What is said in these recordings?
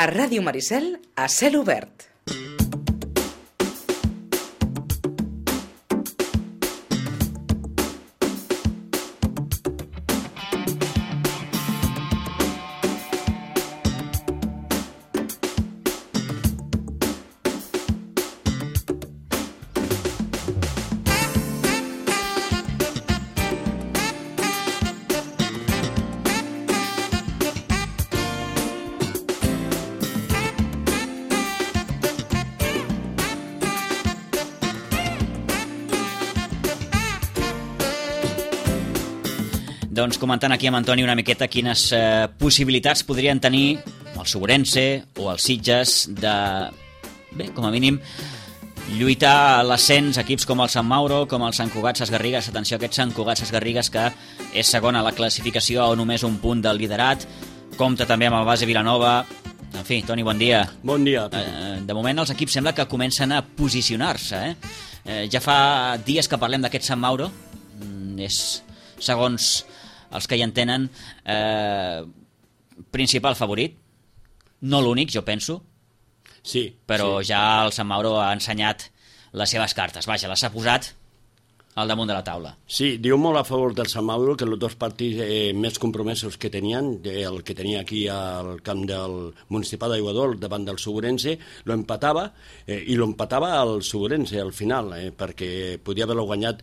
A Ràdio Maricel, a cel obert. Doncs comentant aquí amb Antoni una miqueta quines possibilitats podrien tenir el Sobrense o els Sitges de, bé, com a mínim, lluitar a l'ascens equips com el Sant Mauro, com el Sant Cugat Sesgarrigues. Atenció a aquest Sant Cugat Sesgarrigues, que és segon a la classificació a només un punt del liderat. Compta també amb el Base Vilanova. En fi, Toni, bon dia. Bon dia. De moment els equips sembla que comencen a posicionar-se. Ja fa dies que parlem d'aquest Sant Mauro. És, segons els que hi entenen, principal favorit. No l'únic, jo penso. Sí. Però sí. ja el Sant Mauro ha ensenyat les seves cartes. Vaja, les ha posat al damunt de la taula. Sí, diu molt a favor del Sant Mauro que els dos partits més compromesos que tenien, el que tenia aquí al camp del Municipal d'Aiguadol davant del Sobrense, lo empatava i lo empatava al Sobrense al final, perquè podia haver-lo guanyat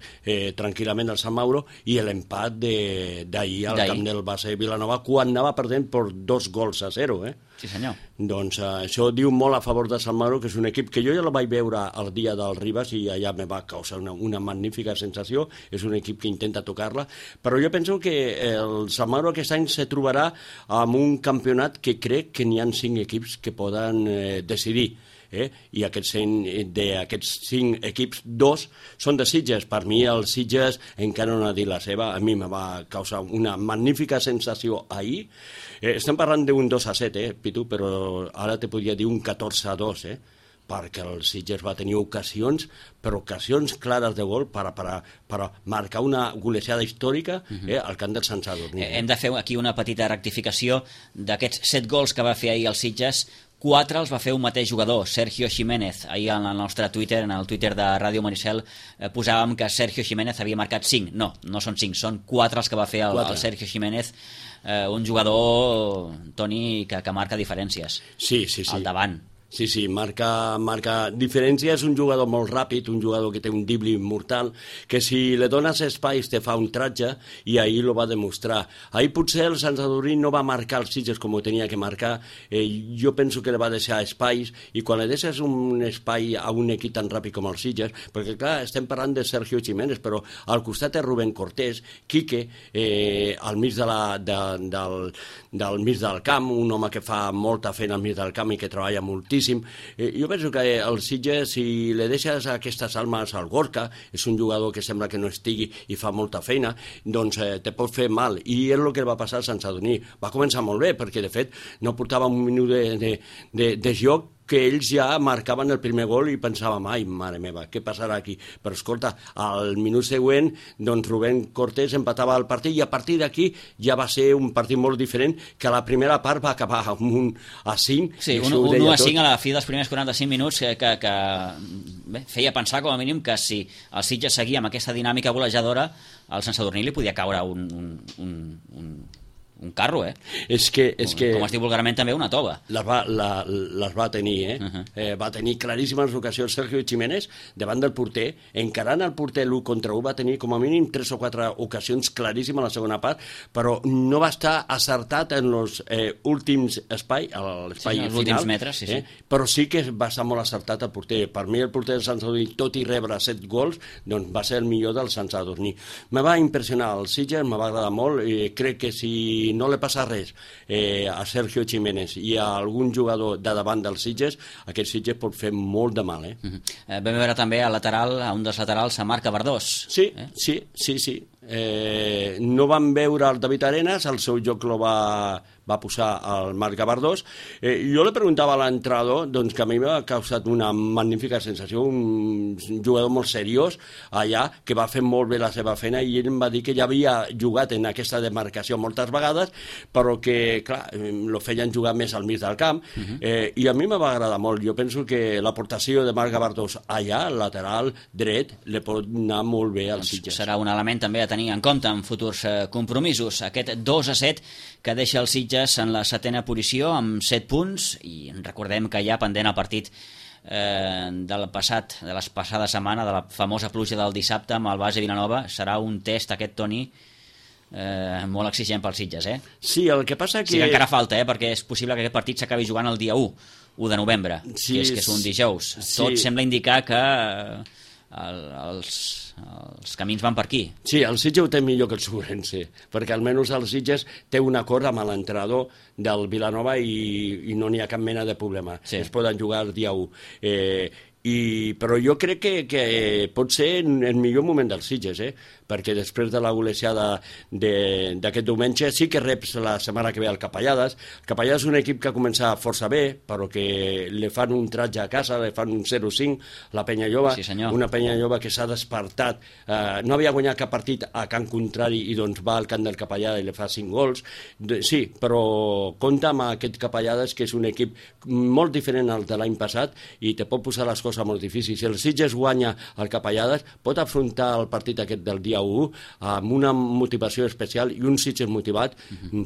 tranquil·lament el Sant Mauro, i l'empat d'ahir al camp del Base Vilanova quan anava perdent per 2-0. Sí, senyor. Doncs això diu molt a favor de Sant Mauro, que és un equip que jo ja el vaig veure el dia del Ribas i allà me va causar una magnífica sensació. És un equip que intenta tocar-la, però jo penso que el Sant Mauro aquest any se trobarà amb un campionat que crec que n'hi ha 5 equips que poden decidir. I d'aquests 5 equips, 2 són de Sitges. Per mi el Sitges encara no ha dit la seva. A mi me va causar una magnífica sensació ahir. Estem parlant d'un 2-7, Pitu, però ara te podria dir un 14-2, perquè el Sitges va tenir ocasions, però ocasions clares de gol per marcar una golejada històrica al camp del Sant Sadurní. Hem de fer aquí una petita rectificació d'aquests 7 gols que va fer ahir el Sitges. 4 els va fer un mateix jugador, Sergio Jiménez. Ahir en el nostre Twitter, en el Twitter de Ràdio Maricel, posàvem que Sergio Jiménez havia marcat 5. No són 5, són 4 els que va fer el Sergio Jiménez, un jugador, Toni, que marca diferències. Sí. Al davant. Sí, marca diferència. És un jugador molt ràpid, un jugador que té un dribble mortal, que si li dones espais te fa un tratge, i ahir lo va demostrar. Ahir potser el Sant Sadurní no va marcar els Sitges com ho tenia que marcar. Jo penso que li va deixar espais, i quan li deixes un espai a un equip tan ràpid com els Sitges, perquè clar, estem parlant de Sergio Jiménez, però al costat és Rubén Cortés, Quique, al mig del mig del camp, un home que fa molta feina al mig del camp i que treballa moltíssim. Jo penso que el Sitges, si li deixes aquestes almes al Gorka, és un jugador que sembla que no estigui i fa molta feina, doncs te pot fer mal, i és el que va passar al Sant Sadurní. Va començar molt bé, perquè de fet no portava un minut de joc que ells ja marcaven el primer gol i pensàvem, ai, mare meva, què passarà aquí? Però escolta, al minut següent, doncs Rubén Cortés empatava el partit, i a partir d'aquí ja va ser un partit molt diferent, que la primera part va acabar amb un 5. Sí, un 1-5 a la fi dels primers 45 minuts que feia pensar com a mínim que si el Sitges seguia amb aquesta dinàmica golejadora, al Sant Sadurní li podia caure un carro, És que... Com es diu vulgarment, també una tova. Les va tenir, Va tenir claríssimes ocasions Sergio Jiménez davant del porter, encarant el porter l'1 contra 1, va tenir com a mínim 3 o 4 ocasions claríssimes a la segona part, però no va estar acertat en els últims espai, l'espai final. Últims metres, sí. Però sí que va estar molt acertat el porter. Per mi el porter del Sant Sadurní, tot i rebre 7 gols, doncs va ser el millor del Sant Sadurní. Me va impressionar el Sitges, me va agradar molt, i crec que si no li passa res a Sergio Jiménez i a algun jugador de davant dels Sitges, aquest Sitges pot fer molt de mal. Vam veure també a un dels laterals, a Marc Abardós. Sí. No van veure el David Arenas, el seu joc lo va va posar el Marc Gavardós. Jo li preguntava a l'entrenador, doncs, que a mi m'ha causat una magnífica sensació, un jugador molt seriós allà, que va fer molt bé la seva feina, i ell em va dir que ja havia jugat en aquesta demarcació moltes vegades, però que, clar, lo feien jugar més al mig del camp, i a mi me va agradar molt. Jo penso que l'aportació de Marc Gavardós allà, al lateral dret, li pot anar molt bé als Sitges. Serà un element també a tenir en compte en futurs compromisos. Aquest 2-7 que deixa els Sitges en la 7ª posició amb 7 punts, i recordem que hi ha pendent el partit de la passada setmana, de la famosa pluja del dissabte amb el Base Vilanova. Serà un test aquest, Toni, molt exigent pels Sitges, Sí, el que passa que... Sí, que encara falta, perquè és possible que aquest partit s'acabi jugant el dia 1 de novembre, sí, que és un dijous. Sí. Tot sembla indicar que els camins van per aquí. Sí, el Sitges ho té millor que el Sobrense, perquè almenys el Sitges té un acord amb l'entrenador del Vilanova i no n'hi ha cap mena de problema. Sí. Es poden jugar el dia 1. Però jo crec que pot ser el millor moment dels Sitges, perquè després de la golejada d'aquest diumenge sí que reps la setmana que ve el Capellades. El Capellades és un equip que ha començat força bé, però que li fan un tratge a casa, li fan un 0-5, la Penya Lloba, sí, una Penya Lloba que s'ha despertat, no havia guanyat cap partit a camp contrari i doncs va al camp del Capellades i li fa 5 gols. Sí, però compta amb aquest Capellades, que és un equip molt diferent al de l'any passat i te pot posar les coses molt difícils. Si el Sitges guanya el Capellades, pot afrontar el partit aquest del dia 1 amb una motivació especial, i un Sitges motivat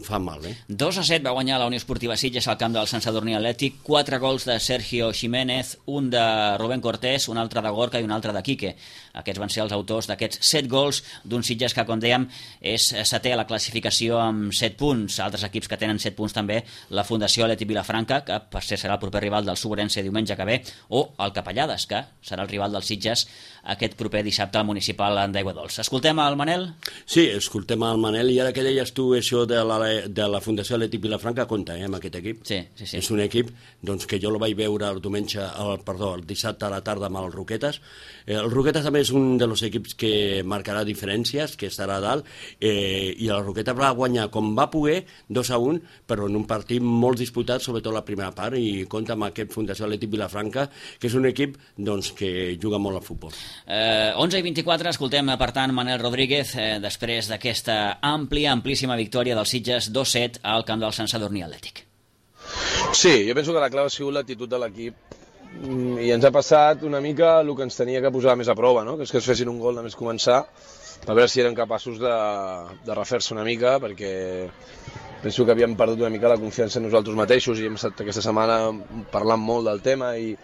fa mal. 2-7 va guanyar la Unió Esportiva Sitges al camp del Sant Sadurní Atlètic, 4 gols de Sergio Jiménez, un de Rubén Cortés, un altre de Gorka i un altre de Quique. Aquests van ser els autors d'aquests 7 gols d'un Sitges que, com dèiem, és 7è a la classificació amb 7 punts. Altres equips que tenen 7 punts també, la Fundació Atlètic Vilafranca, que per ser serà el proper rival del Sobrense diumenge que ve, o el Capellades, que serà el rival dels Sitges aquest proper dissabte al municipal d'Aiguadols. Escoltem al Manel? Sí, escoltem al Manel, i ara que deies tu això de la Fundació Atlètic Vilafranca, compta amb aquest equip. Sí. És un equip doncs, que jo el vaig veure el dissabte a la tarda amb el Roquetes. El Roquetes també és un dels equips que marcarà diferències, que estarà a dalt, i el Roquetes va guanyar com va poder 2-1, però en un partit molt disputat, sobretot la primera part, i compta amb aquest Fundació Atlètic Vilafranca, que és un equip doncs, que juga molt al futbol. 11:24, escoltem per tant Manel Rodríguez després d'aquesta amplíssima victòria dels Sitges 2-7 al camp del Sant Sadurní Atlètic. Sí, jo penso que la clau ha sigut l'actitud de l'equip, i ens ha passat una mica el que ens tenia que posar més a prova, no? Que és que es fessin un gol només començar, per veure si eren capaços de refer-se una mica, perquè penso que havíem perdut una mica la confiança en nosaltres mateixos i hem estat aquesta setmana parlant molt del tema, i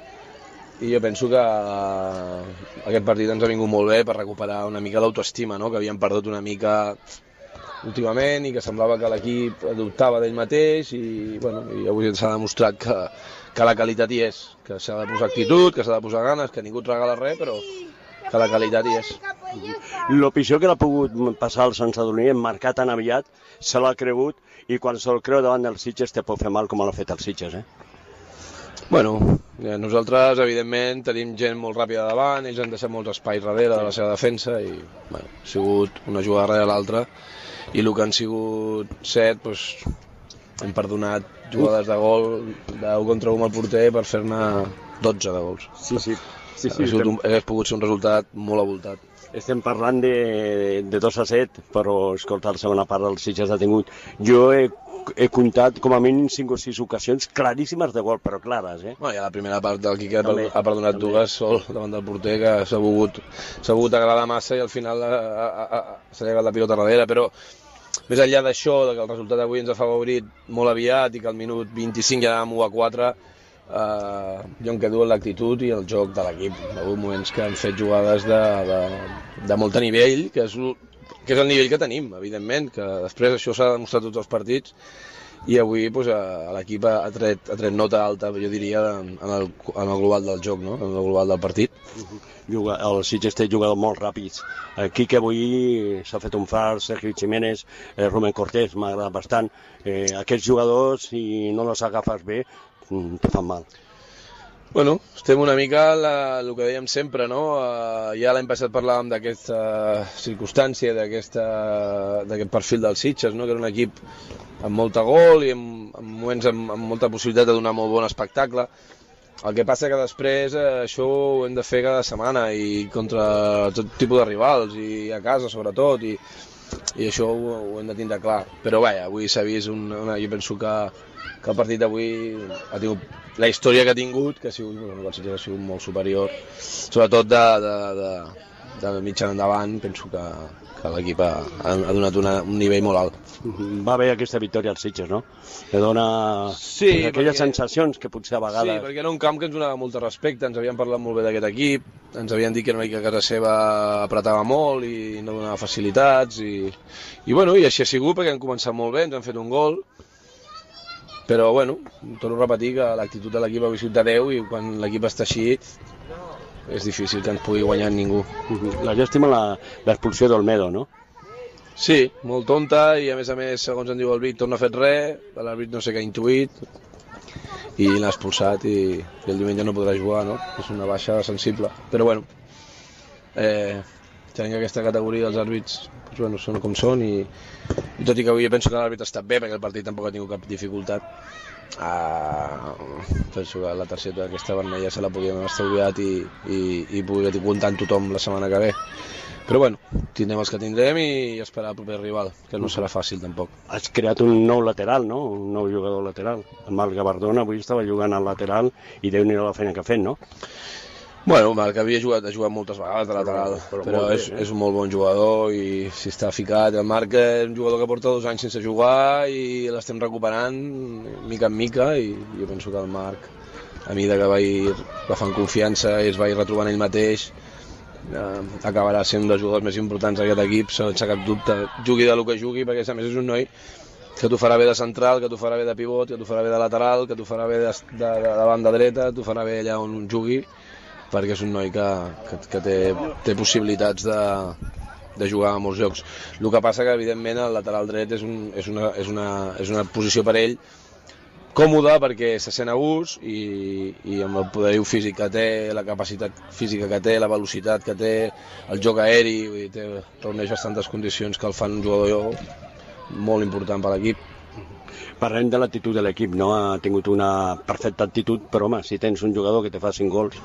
jo penso que aquest partit ens ha vingut molt bé per recuperar una mica l'autoestima, no? Que havíem perdut una mica últimament i que semblava que l'equip dubtava d'ell mateix, i avui ens ha demostrat que la qualitat hi és, que s'ha de posar actitud, que s'ha de posar ganes, que ningú et regala res, però que la qualitat hi és. El pitjor que l'ha pogut passar al Sant Sadurní en marcar tan aviat, se l'ha cregut, i quan se'l creu davant dels Sitges te pot fer mal com l'ha fet els Sitges, Nosaltres, evidentment, tenim gent molt ràpida davant, ells han deixat molts espais darrere de la seva defensa, i ha sigut una jugada darrere l'altra, i el que han sigut 7, hem perdonat jugades de gol d'1 contra 1 al porter per fer-ne 12 de gols. Sí. Hauria pogut ser un resultat molt avoltat. Estem parlant de 2-7, però, escolta, la segona part del Sitges ha tingut... Jo he comptat com a mínim 5 o 6 ocasions claríssimes de gol, però clares, I a la primera part del Quique ha perdonat dues sol davant del porter, que s'ha volgut agradar massa i al final s'ha llegat la pilota darrere, però més enllà d'això, que el resultat d'avui ens ha favorit molt aviat i que al minut 25 ja anàvem 1-4, jo em quedo amb l'actitud i el joc de l'equip. Hi ha hagut moments que han fet jugades de molt nivell, que és el nivell que tenim, evidentment, que després això s'ha demostrat tots els partits, i avui l'equip ha tret nota alta, jo diria, en el global del joc, no? En el global del partit. El Sitges té jugadors molt ràpids. Aquí que avui s'ha fet un far, Sergio Jiménez, Rubén Cortés, m'ha agradat bastant. Aquests jugadors, si no els agafes bé, te fan mal. Bueno, estem una mica el que dèiem sempre, no? Ja l'any passat parlàvem d'aquesta circumstància, d'aquest perfil dels Sitges, no? Que era un equip amb molta gol i en moments amb molta possibilitat de donar molt bon espectacle. El que passa que després això ho hem de fer cada setmana i contra tot tipus de rivals i a casa sobretot i això ho hem de tindre clar. Però vaja, avui s'ha vist jo penso que el partit d'avui ha tingut la història que ha tingut, que ha sigut molt superior, sobretot de mitjan endavant. Penso que l'equip ha donat un nivell molt alt. Va haver aquesta victòria als Sitges, no? Que dona aquelles sensacions que potser a vegades... Sí, perquè era un camp que ens donava molt de respecte, ens havien parlat molt bé d'aquest equip, ens havien dit que era una equip que a casa seva apretava molt i no donava facilitats, i així ha sigut perquè han començat molt bé, ens han fet un gol, però bueno, torno a repetir que l'actitud de l'equip ha sigut de 10 i quan l'equip està així és difícil que ens pugui guanyar ningú. La llàstima l'expulsió d'Olmedo, no? Sí, molt tonta i a més, segons en diu el Vic, no ha fet res, l'àrbit no sé què ha intuït i l'ha expulsat i el diumenge no podrà jugar, no? És una baixa sensible, però bueno, tenint aquesta categoria dels àrbits són com són i tot i que avui penso que l'àrbit ha estat bé perquè el partit tampoc ha tingut cap dificultat, penso que la targeta aquesta vermella se la podíem haver estalviat i poder comptar amb tothom la setmana que ve. Però bueno, tindrem els que tindrem i esperar el proper rival, que no serà fàcil tampoc. Has creat un nou lateral, no? Un nou jugador lateral. El Marc Gabardona avui estava jugant al lateral i Déu-n'hi-do la feina que ha fet, no? Bueno, Marc ha jugat moltes vegades de lateral, però és un molt bon jugador i si està ficat. El Marc és un jugador que porta 2 anys sense jugar i l'estem recuperant mica en mica i jo penso que el Marc, a mesura que va agafant confiança i es va retrobant ell mateix, acabarà sent un dels jugadors més importants d'aquest equip, sense cap dubte, jugui del que jugui, perquè a més és un noi que t'ho farà bé de central, que t'ho farà bé de pivot, que t'ho farà bé de lateral, que t'ho farà bé de banda dreta, t'ho farà bé allà on jugui, perquè és un noi que té possibilitats de jugar a molts llocs. El que passa que evidentment el lateral dret és una posició per ell còmode perquè se sent a gust i amb el poderiu físic que té, la capacitat física que té, la velocitat que té, el joc aeri, reuneix bastantes condicions que el fan un jugador molt important per l'equip. Parlem de l'actitud de l'equip, no? Ha tingut una perfecta actitud, però home, si tens un jugador que te fa 5 gols...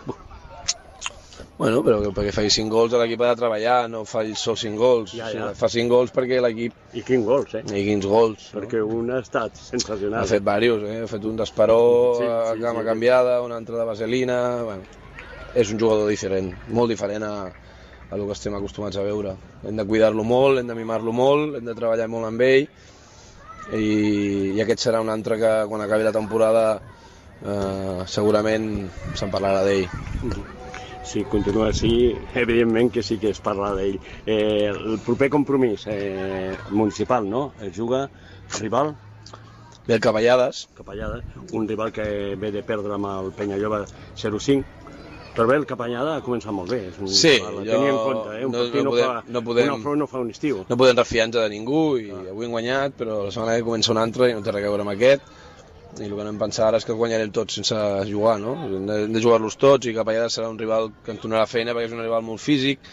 Bueno, però perquè faci 5 gols l'equip ha de treballar, no fa sol 5 gols. Ja. Fa 5 gols perquè l'equip... I quins gols, I quins gols. Perquè un ha estat sensacional. Ha fet diversos, Ha fet un d'Esperó, cama canviada, un altre de vaselina... Bueno, és un jugador diferent, molt diferent a el que estem acostumats a veure. Hem de cuidar-lo molt, hem de mimar-lo molt, hem de treballar molt amb ell i aquest serà un altre que quan acabi la temporada segurament se'n parlarà d'ell. Si continua així, evidentment que sí que es parla d'ell. El proper compromís municipal, no? Es juga rival? Ve el Capellades. Un rival que ve de perdre amb el Penyalloba 0-5. Però bé, el Capellada ha començat molt bé. Sí, tenir en compte, un afront no fa un estiu. No podem refiar-nos de ningú i avui hem guanyat, però la setmana que comença un altre i no té res a veure amb aquest. I el que anem a pensar ara és que guanyarem tots sense jugar, no? Hem de jugar-los tots i Capellada serà un rival que ens donarà feina perquè és un rival molt físic.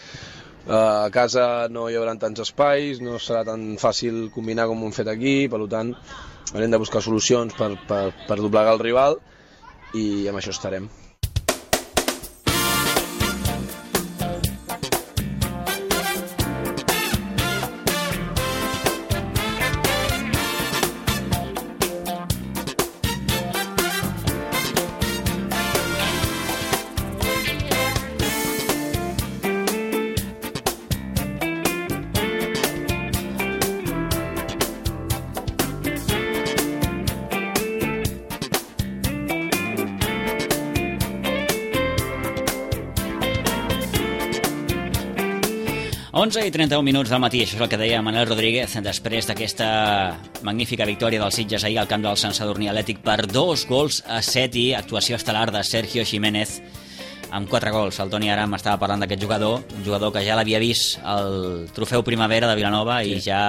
A casa no hi haurà tants espais, no serà tan fàcil combinar com ho hem fet aquí, per tant haurem de buscar solucions per doblegar el rival i amb això estarem. i 31 minuts del matí, això és el que deia Manel Rodríguez després d'aquesta magnífica victòria dels Sitges ahir al camp del Sant Sadurní Atlètic per 2-7 i actuació estel·lar de Sergio Jiménez amb 4 gols. El Toni ara m'estava parlant d'aquest jugador, un jugador que ja l'havia vist al Trofeu Primavera de Vilanova i ja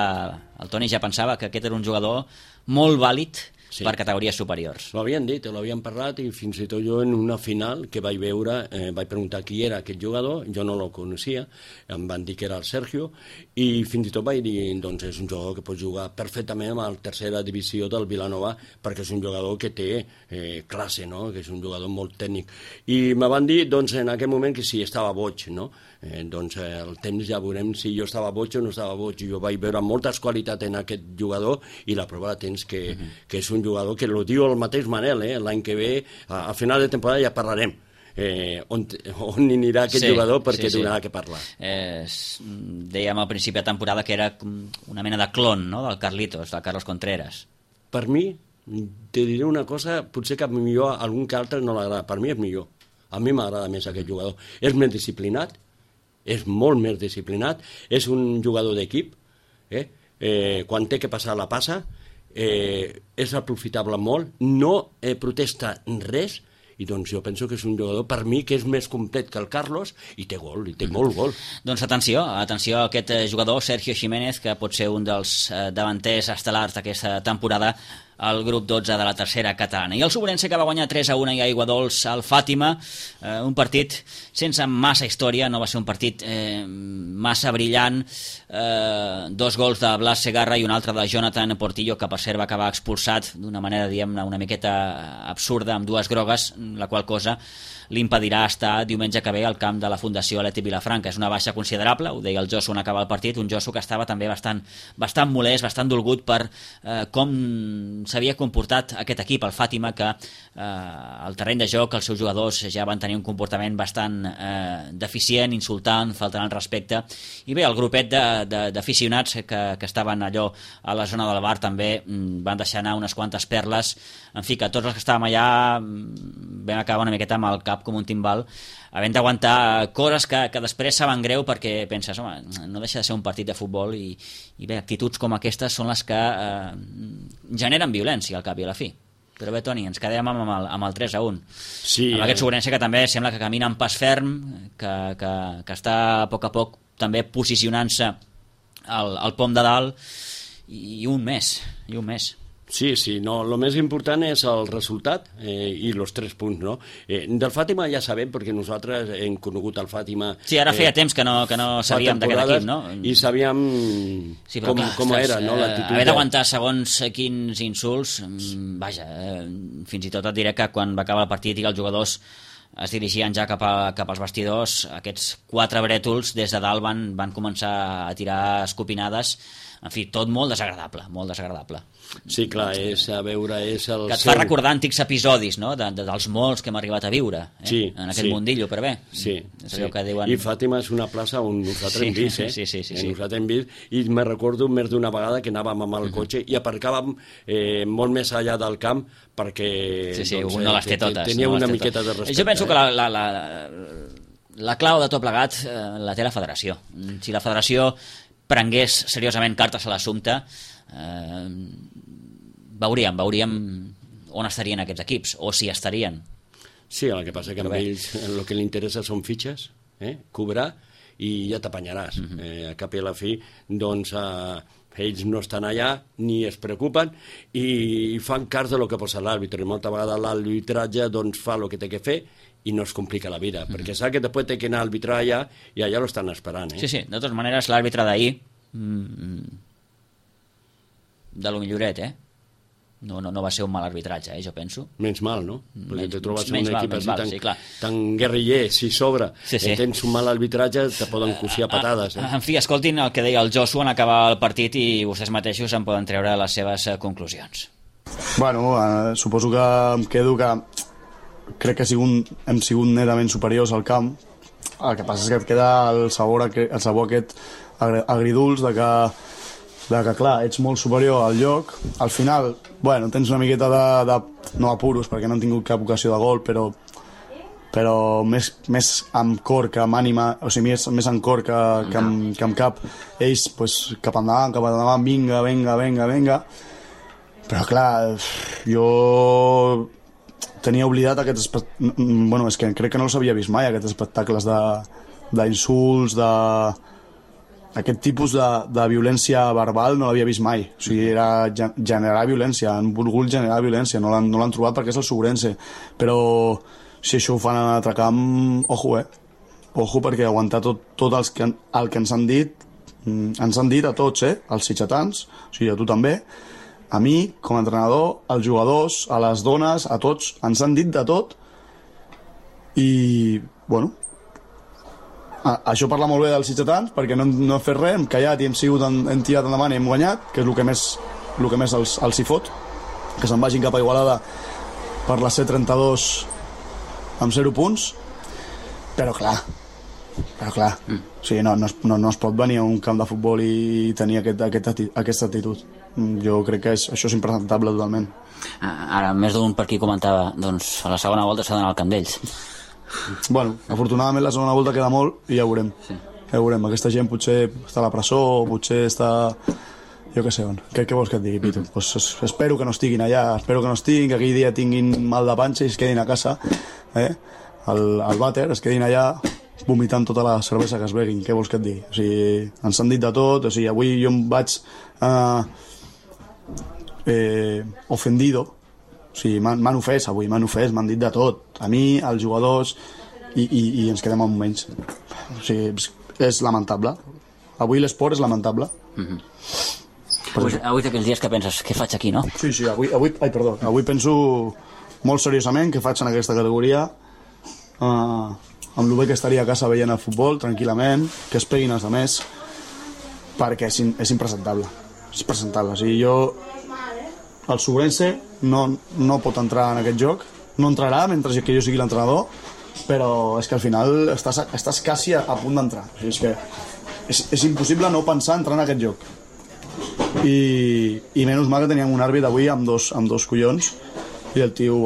el Toni ja pensava que aquest era un jugador molt vàlid per categories superiors. Ho havien dit, ho havien parlat, i fins i tot jo en una final que vaig veure, vaig preguntar qui era aquest jugador, jo no lo coneixia, em van dir que era el Sergio, i fins i tot vaig dir, doncs és un jugador que pot jugar perfectament a la tercera divisió del Vilanova, perquè és un jugador que té classe, no? Que és un jugador molt tècnic. I me van dir, doncs, en aquell moment que sí, estava boig, no? Doncs el temps ja veurem si jo estava boig o no estava boig. Jo vaig veure moltes qualitats en aquest jugador i la prova la tens que és un jugador que ho diu el mateix Manel, l'any que ve, a final de temporada ja parlarem on anirà aquest jugador perquè donarà que parlar. Dèiem al principi de temporada que era una mena de clon, no?, del Carlitos, del Carlos Contreras. Per mi, te diré una cosa, potser que millor algun que altre no l'agrada, per mi és millor. A mi m'agrada més aquest jugador. És més disciplinat, és molt més disciplinat, és un jugador d'equip, quan té que passar la passa, és aprofitable molt, no protesta res, i doncs jo penso que és un jugador per mi que és més complet que el Carlos i té gol, i té molt gol. Doncs atenció a aquest jugador, Sergio Jiménez, que pot ser un dels davanters estel·lars d'aquesta temporada al grup 12 de la tercera catalana. I el Sobrense, que va guanyar 3-1 i aigua dols al Fàtima, un partit sense massa història, no va ser un partit massa brillant, 2 gols de Blas Segarra i un altre de Jonathan Portillo, que per cert va acabar expulsat d'una manera, diguem-ne, una miqueta absurda, amb 2 grogues, la qual cosa li impedirà estar diumenge que ve al camp de la Fundació Atlètic Vilafranca. És una baixa considerable, ho deia el Josu en acabar el partit, un Josu que estava també bastant molest, bastant dolgut per com s'havia comportat aquest equip, el Fàtima, que al terreny de joc els seus jugadors ja van tenir un comportament bastant deficient, insultant, faltant al respecte, i bé, el grupet d'aficionats que estaven allò a la zona del bar també van deixar anar unes quantes perles, en fi, que tots els que estàvem allà vam acabar una miqueta amb el cap com un timbal, havent d'aguantar coses que després saben greu, perquè penses, home, no deixa de ser un partit de futbol, i bé, actituds com aquestes són les que generen violència al cap i a la fi. Però bé, Toni, ens quedem amb el 3-1. Sí, amb aquest Sobrense que també sembla que camina en pas ferm, que està a poc també posicionant-se al pom de dalt, i un mes. Sí, no, el més important és el resultat i els 3 punts, no? Del Fàtima ja sabem, perquè nosaltres hem conegut el Fàtima... Sí, ara feia temps que no sabíem d'aquest equip, no? I sabíem com era, no? Haver d'aguantar segons quins insults, vaja, fins i tot et diré que quan va acabar el partit i els jugadors es dirigien ja cap als vestidors, aquests 4 brètols des de dalt van començar a tirar escopinades, en fi, tot molt desagradable. Sí, clar, és el... Que et fa recordar antics episodis, no?, dels molts que hem arribat a viure, en aquest mundillo, però bé. Sí. Que diuen... I Fàtima és una plaça on nosaltres hem vist, Sí. Nosaltres hem vist, i me recordo més d'una vegada que anàvem amb el cotxe i aparcàvem molt més allà del camp, perquè un no les té totes. Tenia una miqueta de respecte. Jo penso que la clau de tot plegat la té la federació. Si la federació prengués seriosament cartes a l'assumpte, veuríem on estarien aquests equips, o si estarien. Sí, el que passa que a ells el que li interessa són fitxes, cobrar, i ja t'apanyaràs. A cap i a la fi, doncs, ells no estan allà, ni es preocupen, i fan cas de lo que posa l'àrbitre. I molta vegada l'arbitratge doncs, fa el que té que fer, i no es complica la vida, perquè sap que després té que anar a arbitrar allà, i allà lo estan esperant. Sí, de totes maneres, l'àrbitre d'ahir, de lo milloret, no va ser un mal arbitratge, jo penso. Menys mal, no? Perquè te trobes un equip així tan guerriller, si sobre, tens un mal arbitratge, te poden cosir a patades. En fi, escoltin el que deia el Josu en acabar el partit i vostès mateixos en poden treure les seves conclusions. Bueno, suposo que em quedo que crec que hem sigut netament superiors al camp. El que passa és que et queda el sabor aquest agridulç de que clar, ets molt superior al lloc. Al final, bueno, tens una miqueta de no apuros, perquè no han tingut cap ocasió de gol, però més amb cor que amb ànima, o sigui, més amb cor que amb cap. Ells, pues, cap endavant, vinga. Però clar, jo tenia oblidat aquests espectacles, bueno, és que crec que no els havia vist mai, aquests espectacles d'insults, aquest tipus de violència verbal no l'havia vist mai. O sigui, era generar violència, han volgut generar violència, no l'han trobat perquè és el Sobrense. Però si això ho fan en un altre camp, ojo, Ojo, perquè aguantar tot el que ens han dit a tots, als sitgetans, o sigui, a tu també, a mi, com a entrenador, als jugadors, a les dones, a tots, ens han dit de tot i, bueno, això parla molt bé dels sitgetans perquè no hem fet res, hem callat i hem tirat endavant i hem guanyat, que és el que més els hi fot, que se'n vagin cap a Igualada per la C32 amb 0 punts, però clar, o sigui, no es pot venir a un camp de futbol i tenir aquesta actitud. Jo crec que això és impresentable totalment. Ara, més d'un per aquí comentava, doncs a la segona volta s'ha d'anar al camp d'ells. Bueno, afortunadament la segona volta queda molt i ja ho veurem. Ja ho veurem, aquesta gent potser està a la presó, potser està... jo què sé on. Què vols que et digui, Pitu? Pues espero que no estiguin allà, espero que no estiguin, que aquell dia tinguin mal de panxa i es quedin a casa, al vàter, es quedin allà vomitant tota la cervesa que es beguin. Què vols que et digui? O sigui, ens han dit de tot, o sigui, avui jo em vaig ofendido, o sigui, m'han ofès avui, m'han dit de tot, a mi, als jugadors, i ens quedem amb menys. O sigui, és lamentable. Avui l'esport és lamentable. Avui d'aquells dies que penses, què faig aquí, no? Sí, avui penso molt seriosament què faig en aquesta categoria, amb el bé que estaria a casa veient el futbol tranquil·lament, que es peguin els altres, perquè és impresentable. És impresentable. O sigui, el Sobrense no pot entrar en aquest joc, no entrarà mentre que jo sigui l'entrenador, però és que al final estàs quasi a punt d'entrar. O sigui, és que és impossible no pensar entrar en aquest joc. I menys mal que teníem un àrbit avui amb dos collons i el tio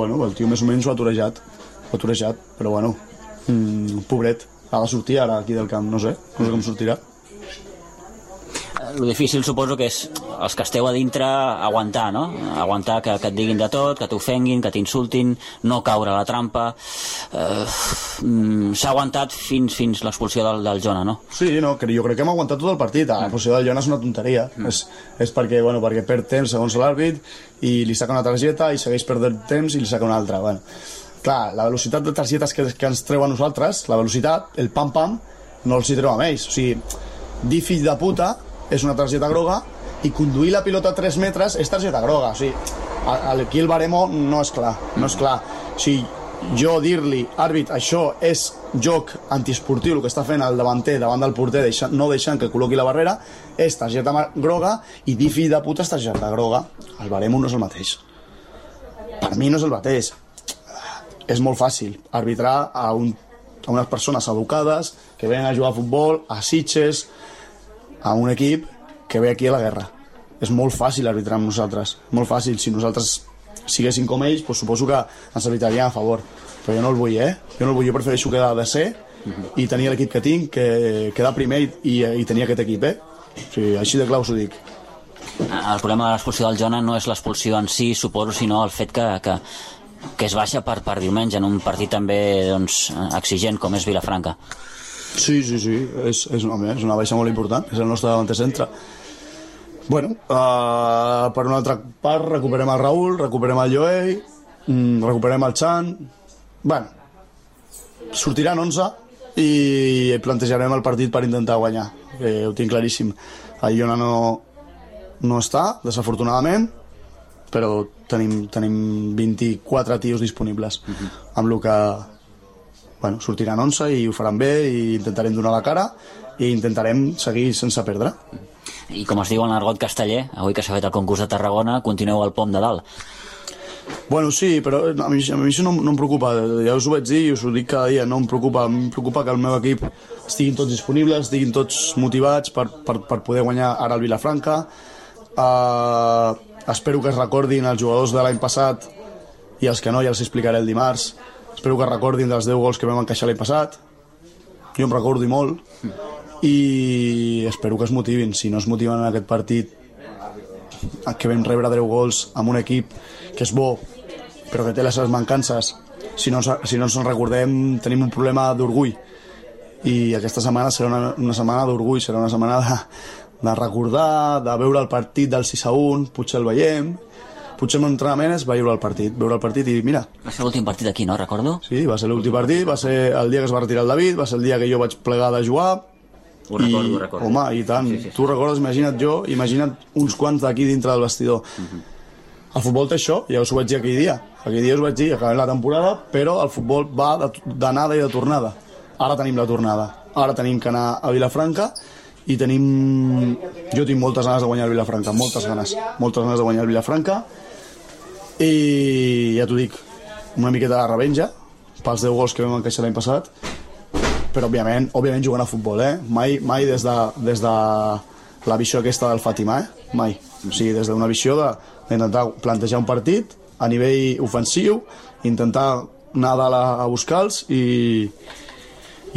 més o menys ho ha torejat, però bueno, pobret, ha de sortir ara aquí del camp, no sé com sortirà. Lo difícil suposo que és els que esteu a dintre aguantar, no? Aguantar que et diguin de tot, que t'ofenguin, que t'insultin, no caure a la trampa. S'ha aguantat fins l'expulsió del Jona, no? Sí, no, jo crec que hem aguantat tot el partit. L'expulsió del Jona és una tonteria. És perquè perd temps segons l'àrbit i li saca una targeta i segueix perdent temps i li saca una altra. Bueno, clar, la velocitat de targetes que ens treu a nosaltres, la velocitat, el pam-pam, no els hi treu a ells. O sigui, dir fill de puta és una targeta groga i conduir la pilota a 3 metres és targeta groga. O sigui, aquí el baremo no és clar. O sigui, jo dir-li, àrbit, això és joc antiesportiu, el que està fent el davanter davant del porter, no deixant que col·loqui la barrera, és targeta groga, i dir fill de puta és targeta groga. El baremo no és el mateix. Per mi no és el mateix. És molt fàcil arbitrar a unes persones educades que venen a jugar a futbol, a Sitges, a un equip que ve aquí a la guerra. És molt fàcil arbitrar amb nosaltres, molt fàcil. Si nosaltres siguéssim com ells, doncs suposo que ens arbitrarien a favor, però jo no el vull, jo prefereixo quedar de ser i tenir l'equip que tinc, que quedar primer i tenir aquest equip, o sigui, així de clar us ho dic. El problema de l'expulsió del Jona no és l'expulsió en si, suposo, sinó el fet que es baixa per diumenge en un partit també exigent com és Vilafranca. Sí, és una baixa molt important, és el nostre davanter centre. Bueno, per una altra part recuperem el Raül, recuperem el Joey, recuperem el Chan. Bueno, sortiran 11 i plantejarem el partit per intentar guanyar, ho tinc claríssim. El Jona no està, desafortunadament, però tenim 24 tios disponibles, amb el que sortiran 11 i ho faran bé i intentarem donar la cara i intentarem seguir sense perdre. I com es diu en l'argot casteller, avui que s'ha fet el concurs de Tarragona, continueu al pom de dalt. Bueno, sí, però a mi això no em preocupa, ja us ho vaig dir i us ho dic cada dia, no em preocupa que el meu equip estiguin tots disponibles, estiguin tots motivats per poder guanyar ara el Vilafranca. Espero que es recordin els jugadors de l'any passat i els que no ja els explicaré el dimarts. Espero que recordin dels 10 gols que vam encaixar l'any passat. Jo em recordo i molt. I espero que es motivin. Si no es motiven en aquest partit que vam rebre 10 gols amb un equip que és bo però que té les seves mancances, si no ens en recordem tenim un problema d'orgull i aquesta setmana serà una setmana d'orgull, serà una setmana de recordar, de veure el partit del 6-1, potser el veiem, potser l'entrenament és veure el partit i mira. Va ser l'últim partit aquí, no? Recordo? Sí, va ser l'últim partit, va ser el dia que es va retirar el David, va ser el dia que jo vaig plegar de jugar. Ho recordo. Home, i tant, sí. Tu recordes, imagina't uns quants d'aquí dintre del vestidor. El futbol té això, ja us ho vaig dir aquell dia us vaig dir, acabem la temporada, però el futbol va d'anada i de tornada. Ara tenim la tornada, ara tenim que anar a Vilafranca i jo tinc moltes ganes de guanyar el Vilafranca, moltes ganes de guanyar el Vilafranca, i ja t'ho dic, una miqueta de revenja pels 10 gols que vam encaixar l'any passat, però òbviament jugant a futbol, mai des de la visió aquesta del Fàtima, mai, o sigui, des d'una visió d'intentar plantejar un partit a nivell ofensiu, intentar anar a dalt a buscar-los i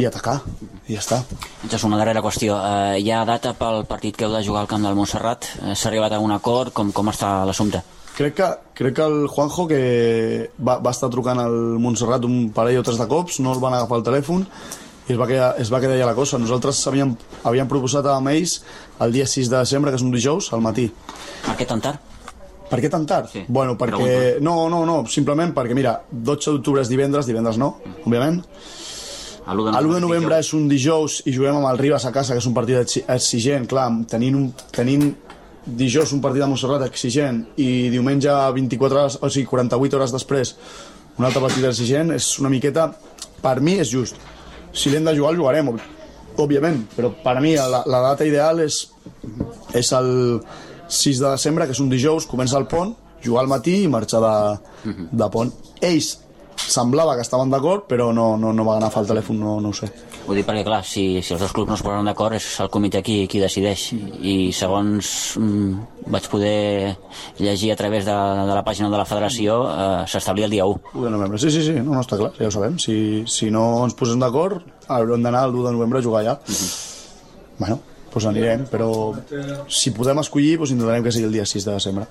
atacar, i ja està. És una darrera qüestió. Hi ha data pel partit que heu de jugar al camp del Montserrat? S'ha arribat a un acord? Com està l'assumpte? Crec que el Juanjo, que va estar trucant al Montserrat un parell o tres de cops, no el van agafar el telèfon i es va quedar ja la cosa. Nosaltres havíem proposat amb ells el dia 6 de desembre, que és un dijous, al matí. Per què tan tard? Per què tan tard? Sí, bueno, perquè... No, simplement perquè, mira, 12 d'octubre és divendres no, òbviament. L'1 de novembre és un dijous i juguem amb el Ribas a casa, que és un partit exigent, clar, tenint dijous un partit de Montserrat exigent i diumenge 24 hores, o sigui 48 hores després un altre partit exigent, és una miqueta, per mi és just. Si l'hem de jugar el jugarem, òbviament, però per mi la data ideal és el 6 de desembre, que és un dijous, comença el pont, jugar al matí i marxar de pont. Ells semblava que estaven d'acord, però no va agafar el telèfon, no ho sé. Ho dic perquè, clar, si els dos clubs no es posen d'acord, és el comitè qui decideix. I segons vaig poder llegir a través de la pàgina de la federació, s'establia el dia 1. 1 de novembre, sí, no està clar, ja ho sabem. Si no ens posem d'acord, haurem d'anar el 1 de novembre a jugar allà. Bueno, doncs anirem, però si podem escollir, intentarem que sigui el dia 6 de desembre.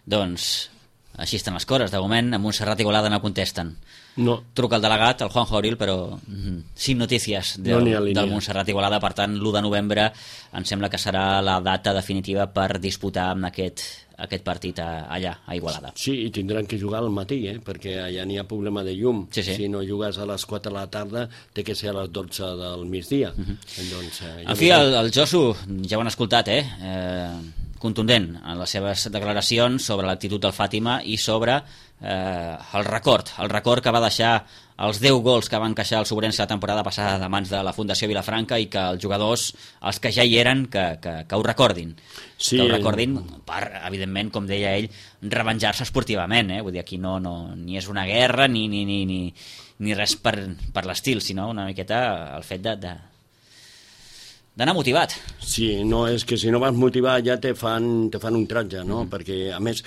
Doncs així estan les coses. De moment, a Montserrat i Igualada no contesten. No. Truca el delegat, el Juanjo Abril, però sin notícies del Montserrat i Igualada. Per tant, l'1 de novembre em sembla que serà la data definitiva per disputar amb aquest partit allà, a Igualada. Sí, i tindran que jugar al matí, perquè allà n'hi ha problema de llum. Sí. Si no jugues a les 4 de la tarda, té que ser a les 12 del migdia. Doncs, en fi, el Josu, ja ho han escoltat, contundent en les seves declaracions sobre l'actitud del Fàtima i sobre el record que va deixar els 10 gols que van encaixar el Sobrense la temporada passada de mans de la Fundació Vilafranca, i que els jugadors, els que ja hi eren, que ho recordin. Sí. Que ho recordin per, evidentment, com deia ell, revenjar-se esportivament. Vull dir, aquí no ni és una guerra ni res per l'estil, sinó una miqueta el fet d'anar motivat. Sí, no, és que si no vas motivar ja te fan un tratge, no? Perquè, a més,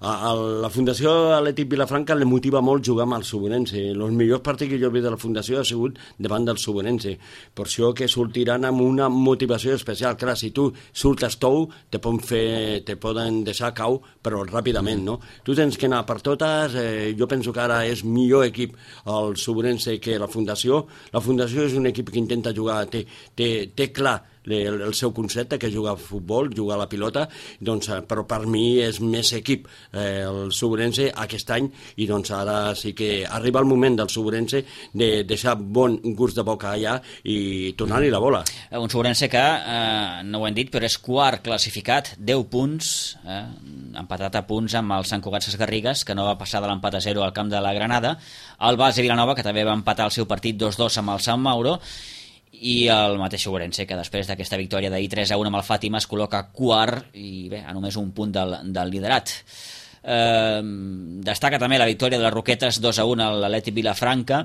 a la Fundació Atlètic Vilafranca li motiva molt jugar amb el Sobrense. Els millors partits que jo he vist de la Fundació ha sigut davant del Sobrense. Per això que sortiran amb una motivació especial. Clar, si tu surtes tou, te poden deixar cau, però ràpidament, no? Tu tens que anar per totes. Jo penso que ara és millor equip el Sobrense que la Fundació. La Fundació és un equip que intenta jugar, té clar el seu concepte, que jugar a futbol, jugar a la pilota, doncs, però per mi és més equip el Sobrense aquest any, i doncs ara sí que arriba el moment del Sobrense de deixar bon gust de boca allà i tornar-hi la bola. Un Sobrense que, no ho hem dit, però és quart classificat, 10 punts, empatat a punts amb el Sant Cugat Sesgarrigues, que no va passar de l'empat a 0 al camp de la Granada, el Base Vilanova, que també va empatar el seu partit 2-2 amb el Sant Mauro, i el mateix Sobrense, que després d'aquesta victòria d'ahir 3-1 amb el Fàtima es col·loca quart i bé, a només un punt del liderat. Destaca també la victòria de les Roquetes 2-1 a l'Atlètic Vilafranca,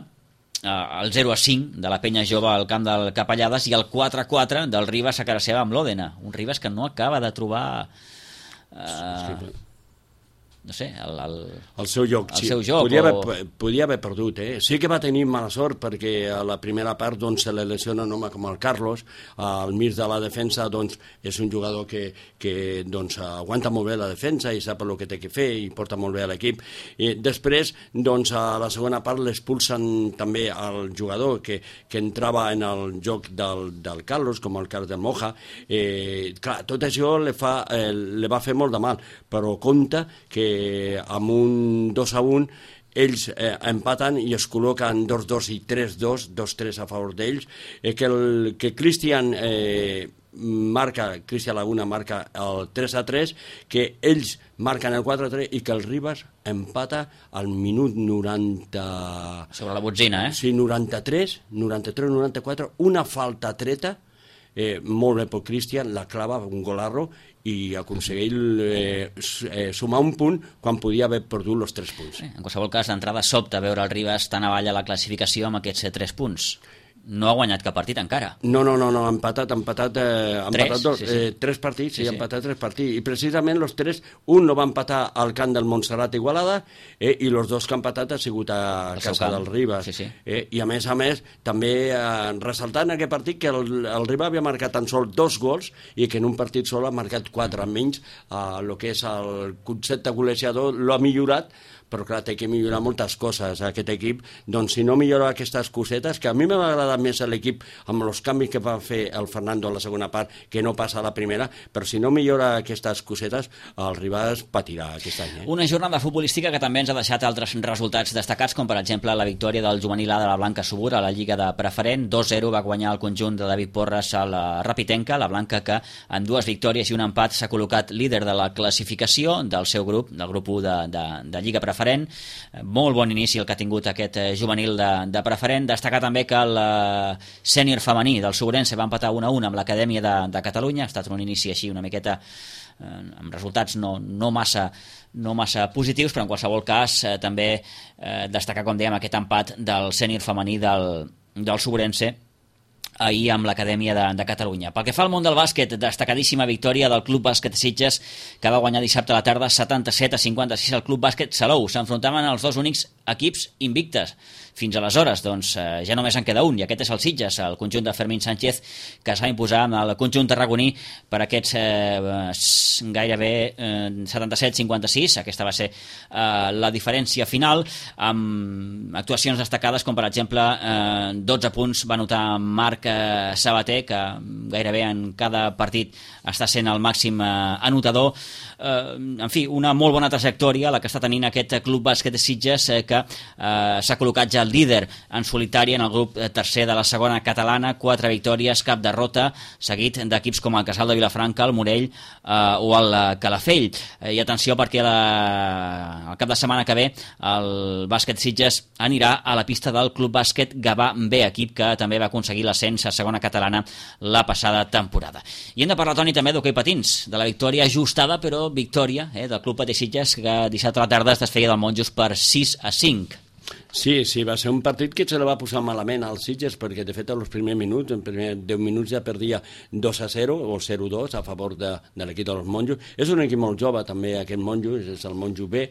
el 0-5 de la Penya Jove al camp del Capellades i el 4-4 del Ribas a casa seva amb l'Òdena, un Ribas que no acaba de trobar no sé, el seu joc. El seu joc. Podia haver perdut, Sí que va tenir mala sort perquè a la primera part doncs, se li lesiona un home com el Carlos, al mig de la defensa doncs, és un jugador que doncs, aguanta molt bé la defensa i sap el que té que fer i porta molt bé a l'equip. I després, doncs, a la segona part l'expulsen també al jugador que entrava en el joc del Carlos, com el cas del Moja. Clar, tot això li va fer molt de mal, però compte que amb un 2-1 ells empaten i es col·loquen 2-2 i 3-2, 2-3 a favor d'ells, que Cristian Laguna marca el 3-3, que ells marquen el 4-3 i que el Ribas empata al minut 90... Sobre la botzina, Sí, 93-94, una falta treta, molt bé per Cristian, la clava, un golarro, i aconsegueix sumar un punt quan podia haver perdut els 3 punts. En qualsevol cas, d'entrada sobta veure el Ribas tan avall a la classificació amb aquests 3 punts. No ha guanyat cap partit encara. No, ha empatat 3 partits, sí. Ha empatat 3 partits, i precisament els 3, un no va empatar al camp del Montserrat Igualada, i els 2 que han empatat ha sigut a casa del Ribas. Sí. I a més, també ressaltant aquest partit que el Ribas havia marcat tan sols 2 gols i que en un partit sol ha marcat 4, menys el que és el concepte golejador l'ha millorat, però clar, té que millorar moltes coses aquest equip. Doncs si no millora aquestes cosetes, que a mi m'ha agradat més l'equip amb els canvis que va fer el Fernando a la segona part, que no passa a la primera, però si no millora aquestes cosetes, el Ribas patirà aquest any. Una jornada futbolística que també ens ha deixat altres resultats destacats, com per exemple la victòria del juvenil A de la Blanca Subur a la Lliga de Preferent. 2-0 va guanyar el conjunt de David Porres a la Rapitenca, la Blanca, que en 2 victòries i un empat s'ha col·locat líder de la classificació del seu grup, del grup 1 de Lliga Preferent. Molt bon inici el que ha tingut aquest juvenil de Preferent. Destacar també que el sènior femení del Sobrense va empatar 1-1 amb l'Acadèmia de Catalunya. Ha estat un inici així una miqueta amb resultats no massa positius, però en qualsevol cas també destacar, com dèiem, aquest empat del sènior femení del Sobrense ahir amb l'Acadèmia de Catalunya. Pel que fa al món del bàsquet, destacadíssima victòria del Club Bàsquet Sitges, que va guanyar dissabte a la tarda 77-56 al Club Bàsquet Salou. S'enfrontaven els 2 únics equips invictes. Fins aleshores, doncs, ja només en queda un, i aquest és el Sitges, el conjunt de Fermín Sánchez, que es va imposar amb el conjunt tarragoní per aquests gairebé 77-56. Aquesta va ser la diferència final, amb actuacions destacades com, per exemple, 12 punts va anotar Marc Sabater, que gairebé en cada partit està sent el màxim anotador. En fi, una molt bona trajectòria la que està tenint aquest Club Bàsquet de Sitges, que s'ha col·locat ja el líder en solitari en el grup tercer de la segona catalana, 4 victòries, cap derrota, seguit d'equips com el Casal de Vilafranca, el Morell o el Calafell. I atenció, perquè el cap de setmana que ve el Bàsquet Sitges anirà a la pista del Club Bàsquet Gavà B, equip que també va aconseguir l'ascens a segona catalana la passada temporada. I hem de parlar, Toni, també d'hoquei patins, de la victòria ajustada, però victòria del Club Patí Sitges, que dissabte a la tarda es desfeia del Monjos per 6-5. Sí, va ser un partit que se la va posar malament als Sitges, perquè de fet als primers minuts, en primers 10 minuts ja perdia 2-0 o 0-2 a favor de l'equip dels Monjos. És un equip molt jove també aquest Monjos, és el Monjo B,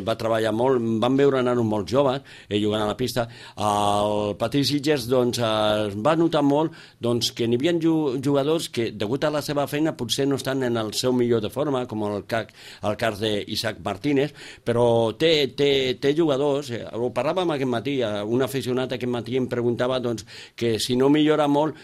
va treballar molt, van veure anar-ho molt joves jugant a la pista. El Patí Sitges doncs, es va notar molt doncs, que n'hi havia jugadors que, degut a la seva feina, potser no estan en el seu millor de forma, com el cas d'Isaac Martínez, però té jugadors, ho parlàvem aquest matí, un aficionat aquest matí em preguntava doncs, que si no millora molt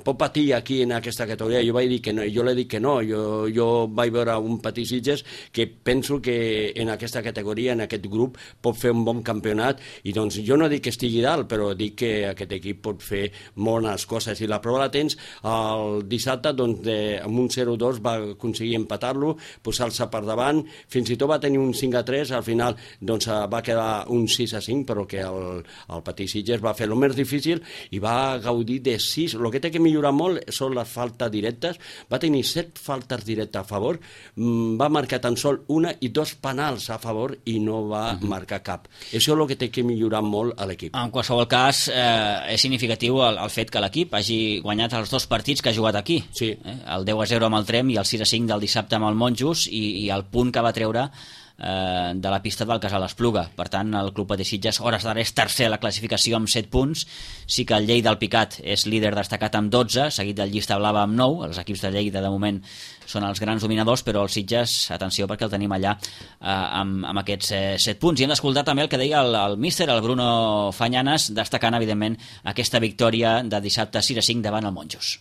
pot patir aquí en aquesta categoria. Jo vaig dir que no, jo li dic que no, jo vaig veure un Patí Sitges que penso que en aquesta categoria, en aquest grup, pot fer un bon campionat, i doncs jo no dic que estigui dalt, però dic que aquest equip pot fer bones coses, i la prova la tens el dissabte, doncs amb un 0-2 va aconseguir empatar-lo, posar-se per davant, fins i tot va tenir un 5-3, al final doncs va quedar un 6-5, però que el Petit Sitges va fer el més difícil i va gaudir de 6. El que té que millorar molt són les faltes directes. Va tenir 7 faltes directes a favor, va marcar tan sol 1 i 2 penals a favor i no va marcar cap. Això és el que té que millorar molt a l'equip. En qualsevol cas, és significatiu el fet que l'equip hagi guanyat els 2 partits que ha jugat aquí. Sí. El 10-0 amb el Trem i el 6-5 del dissabte amb el Monjos i el punt que va treure de la pista del Casal Espluga. Per tant, el Club Patí Sitges, hores d'ara, és tercer a la classificació amb 7 punts. Sí que el Lleida, el Picat, és líder destacat amb 12, seguit del Llista Blava amb 9. Els equips de Lleida, de moment, són els grans dominadors, però el Sitges, atenció, perquè el tenim allà amb aquests 7 punts. I hem d'escoltar també el que deia el míster, el Bruno Fanyanes, destacant, evidentment, aquesta victòria de dissabte 6-5 davant el Monjos.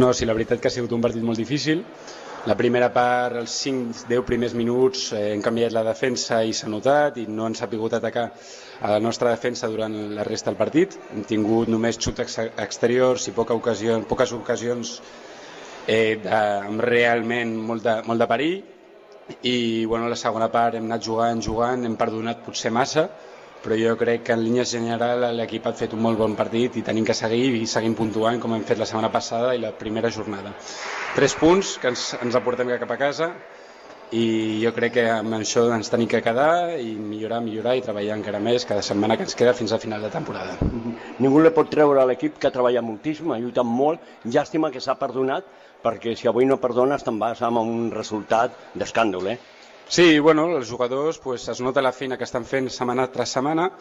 No, sí, la veritat que ha sigut un partit molt difícil. La primera part, els 5-10 primers minuts, hem canviat la defensa i s'ha notat i no han sabut atacar a la nostra defensa durant la resta del partit. Hem tingut només xuts exteriors i poques ocasions amb realment molt de perill. I bueno, la segona part hem anat jugant, hem perdonat potser massa, però jo crec que en línies generals l'equip ha fet un molt bon partit i tenim que seguir i seguim puntuant com hem fet la setmana passada i la primera jornada. 3 punts que ens aportem cap a casa i jo crec que amb això ens tenim que quedar i millorar i treballar encara més cada setmana que ens queda fins al final de temporada. Ningú li pot treure a l'equip que ha treballat moltíssim, ha lluitat molt, llàstima que s'ha perdonat, perquè si avui no perdones te'n vas amb un resultat d'escàndol, Sí, bueno, els jugadors es nota la feina que estan fent setmana tras setmana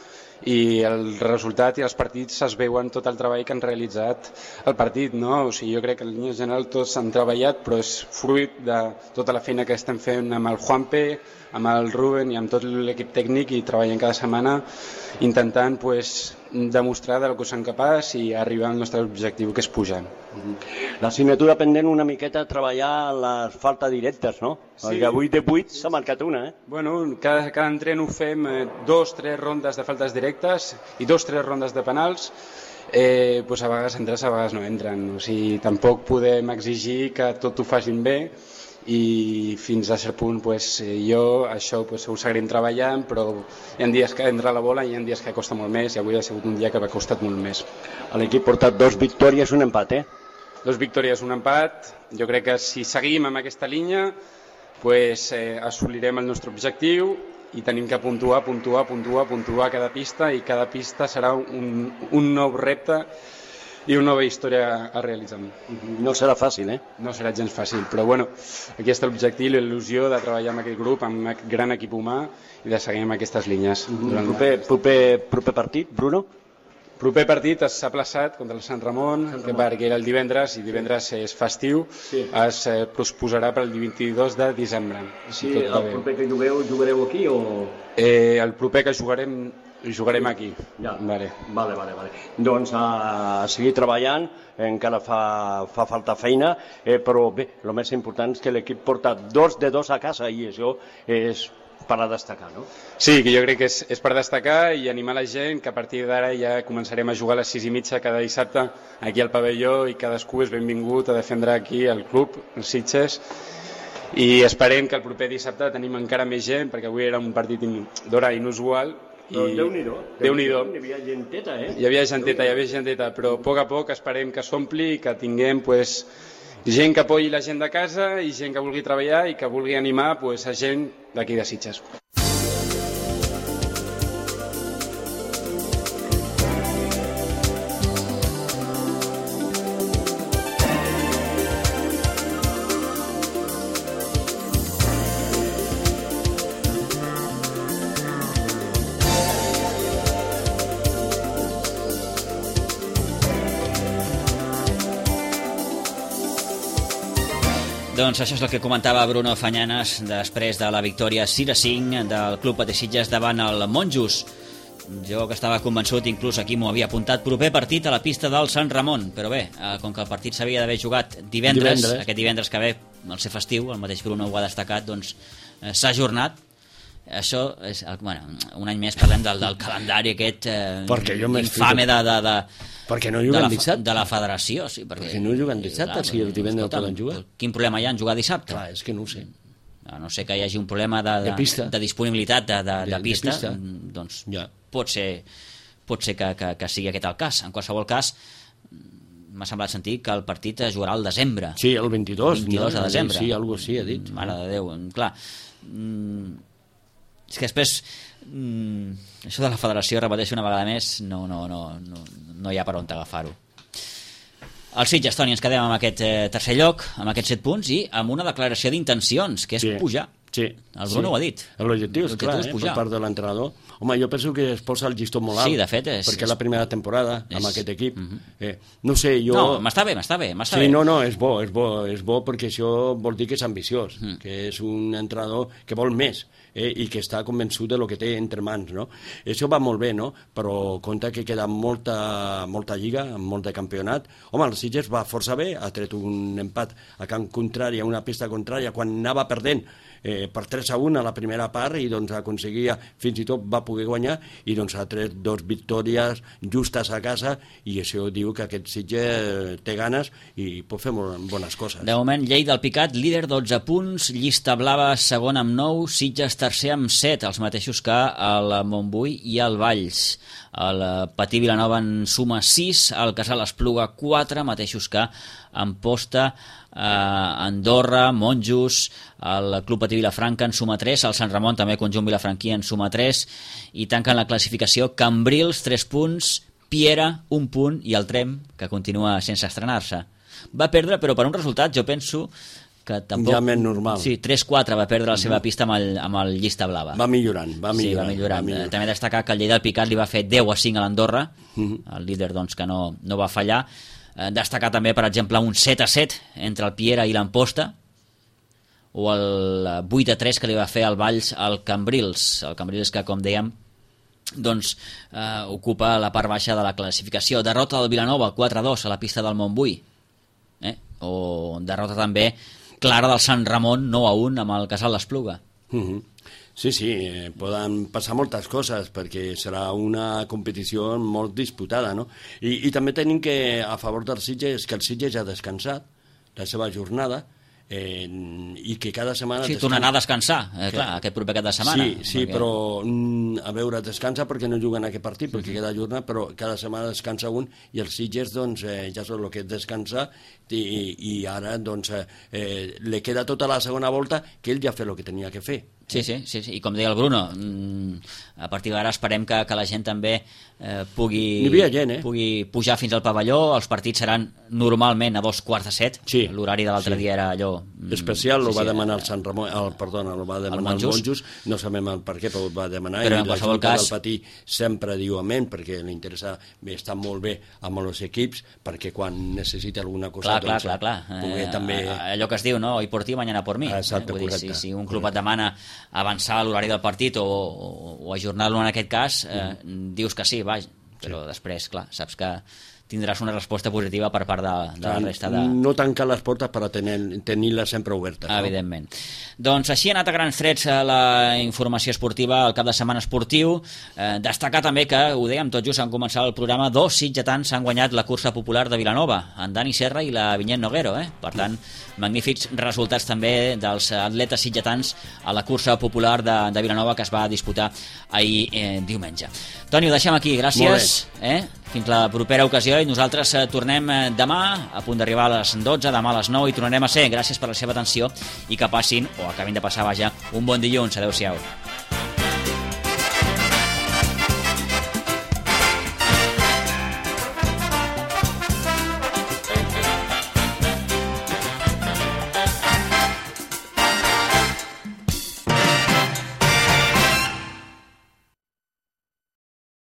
i el resultat i els partits es veuen tot el treball que han realitzat el partit, no? O sigui, jo crec que en línia general tots han treballat, però és fruit de tota la feina que estem fent amb el Juanpe, amb el Ruben i amb tot l'equip tècnic i treballant cada setmana intentant demostrar del que som capaç i arribar al nostre objectiu, que és pujar. L'assignatura pendent una miqueta treballar les faltes directes, no? Sí. Perquè avui de 8 s'ha marcat una, Bueno, cada entren ho fem 2-3 rondes de faltes directes i 2-3 rondes de penals. A vegades entres, a vegades no entren. O sigui, tampoc podem exigir que tot ho facin bé i fins a cert punt jo això ho seguirem treballant, però hi ha dies que entra la bola i hi ha dies que costa molt més i avui ha sigut un dia que m'ha costat molt més. L'equip porta 2 victòries, un empat, 2 victòries, un empat. Jo crec que si seguim amb aquesta línia assolirem el nostre objectiu i tenim que puntuar cada pista i cada pista serà un nou repte i una nova història a realitzar. No serà fàcil, No serà gens fàcil, però bueno, aquí està l'objectiu i l'il·lusió de treballar amb aquest grup, amb un gran equip humà i de seguir amb aquestes línies. Proper partit, Bruno? Proper partit s'ha plaçat contra el Sant Ramon, perquè era el divendres i divendres és festiu, es posposarà per el 22 de desembre. Sí, el proper que jugareu aquí o...? El proper que jugarem aquí. Ja. Vale. Doncs a seguir treballant, encara fa falta feina, però bé, el més important és que l'equip porta 2 de 2 a casa i això és per a destacar, no? Sí, que jo crec que és per destacar i animar la gent que a partir d'ara ja començarem a jugar a les 6:30 cada dissabte aquí al pavelló i cadascú és benvingut a defendre aquí el club, els Sitges, i esperem que el proper dissabte tenim encara més gent, perquè avui era un partit d'hora inusual. Déu-n'hi-do. Hi havia genteta, Hi havia genteta, però a poc esperem que s'ompli i que tinguem gent que apoyi la gent de casa i gent que vulgui treballar i que vulgui animar a gent d'aquí de Sitges. Doncs això és el que comentava Bruno Fanyanes després de la victòria 6-5 del Club Patí Sitges davant el Monjos. Jo que estava convençut, inclús aquí m'ho havia apuntat, proper partit a la pista del Sant Ramon, però bé, com que el partit s'havia d'haver jugat divendres, aquest divendres que ve, al ser festiu, el mateix Bruno ho ha destacat, doncs s'ha ajornat. Això és, un any més parlem del calendari aquest infame de la federació. Sí, perquè no juguen dissabte, si el divendres no poden jugar. Quin problema hi ha en jugar dissabte? Clar, és que no ho sé. a no ser que hi hagi un problema de disponibilitat de pista, doncs pot ser que sigui aquest el cas. En qualsevol cas, m'ha semblat sentir que el partit es jugarà al desembre. Sí, el 22 de desembre. Sí, alguna cosa així ha dit. Mare de Déu, clar. És que després això de la federació, repeteixo una vegada més, no hi ha per on agafar-ho. El Sitges, Toni, ens quedem amb aquest tercer lloc, amb aquests 7 punts i amb una declaració d'intencions, que és pujar. Sí, el Bruno ho ha dit. L'objectiu és clar, per part de l'entrenador. Home, jo penso que es posa el llistó molt alt. Sí, de fet perquè és la primera temporada amb aquest equip. No sé, jo... No, m'està bé. Sí, no, és bo perquè això vol dir que és ambiciós, que és un entrenador que vol més i que està convençut de lo que té entre mans, no? Això va molt bé, no? Però compte que queda molta lliga, molt de campionat. Home, el Sitges va força bé, ha tret un empat a camp contrari, a una pista contrària, quan anava perdent per 3-1 a la primera part i doncs aconseguia, fins i tot va poder guanyar i doncs ha tret 2 victòries justes a casa i això diu que aquest Sitges té ganes i pot fer molt bones coses. De moment, Lleida del Picat, líder 12 punts, Llista Blava segon amb 9, Sitges tercer amb 7, els mateixos que el Montbui i el Valls. El Patí Vilanova en suma 6, el Casal Espluga 4, mateixos que Amposta, Andorra, Monjos, el Club Patí Vilafranca en suma 3, el Sant Ramon també conjunt vilafranquí en suma 3 i tanquen la classificació Cambrils 3 punts, Piera 1 punt i el Trem, que continua sense estrenar-se. Va perdre, però per un resultat jo penso que tampoc... Ja més normal. Sí, 3-4 va perdre la seva pista amb el Llista Blava. Va millorant. Sí, va millorant. També destacar que el Lleida del Picat li va fer 10-5 a l'Andorra, el líder doncs que no va fallar. Destacar també, per exemple, un 7-7 entre el Piera i l'Amposta, o el 8-3 que li va fer el Valls al Cambrils. El Cambrils que, com dèiem, doncs ocupa la part baixa de la classificació. Derrota del Vilanova 4-2 a la pista del Montbui, o derrota també clara del Sant Ramon 9-1 amb el Casal d'Espluga. Sí, poden passar moltes coses perquè serà una competició molt disputada, no? I també tenim que, a favor del Sitges, que el Sitges ja ha descansat la seva jornada i que cada setmana... Sí, tornarà a descansar, clar, aquest proper cap de setmana. Sí, perquè... però a veure, descansa perquè no juguen aquest partit, perquè queda jornada, però cada setmana descansa un i el Sitges, doncs, ja és el que és descansar i ara, doncs, li queda tota la segona volta que ell ja ha fet el que tenia que fer. Sí, i com deia el Bruno, a partir d'ara esperem que la gent també pugui pujar fins al pavelló. Els partits seran normalment a 2:45. Sí. L'horari de l'altre dia era allò... especial, ho va demanar el Sant Ramon, ho va demanar el Monjos, no sabem el per què, però ho va demanar, però i la Junta del Patí sempre diu amén, perquè li interessa estar molt bé amb els equips, perquè quan necessita alguna cosa... Clar. També... Allò que es diu, no? Hoy por ti, mañana por mí. Exacte, vull dir, si un club et demana avançar l'horari del partit o ajornar-lo en aquest cas, dius que sí, però després, clar, saps que tindràs una resposta positiva per part de la resta de... No tancar les portes per tenir-les sempre obertes. Evidentment. Doncs així ha anat a grans trets la informació esportiva al cap de setmana esportiu. Destacar també que, ho dèiem tot just en començar el programa, 2 sitgetans han guanyat la cursa popular de Vilanova, en Dani Serra i la Vinyet Noguero. Per tant, magnífics resultats també dels atletes sitgetans a la cursa popular de Vilanova que es va disputar ahir diumenge. Toni, ho deixem aquí. Gràcies. Fins la propera ocasió i nosaltres tornem demà a punt d'arribar a les 12, demà a les 9 i tornarem a ser. Gràcies per la seva atenció i que passin, o acabin de passar, un bon dilluns. Adéu-siau.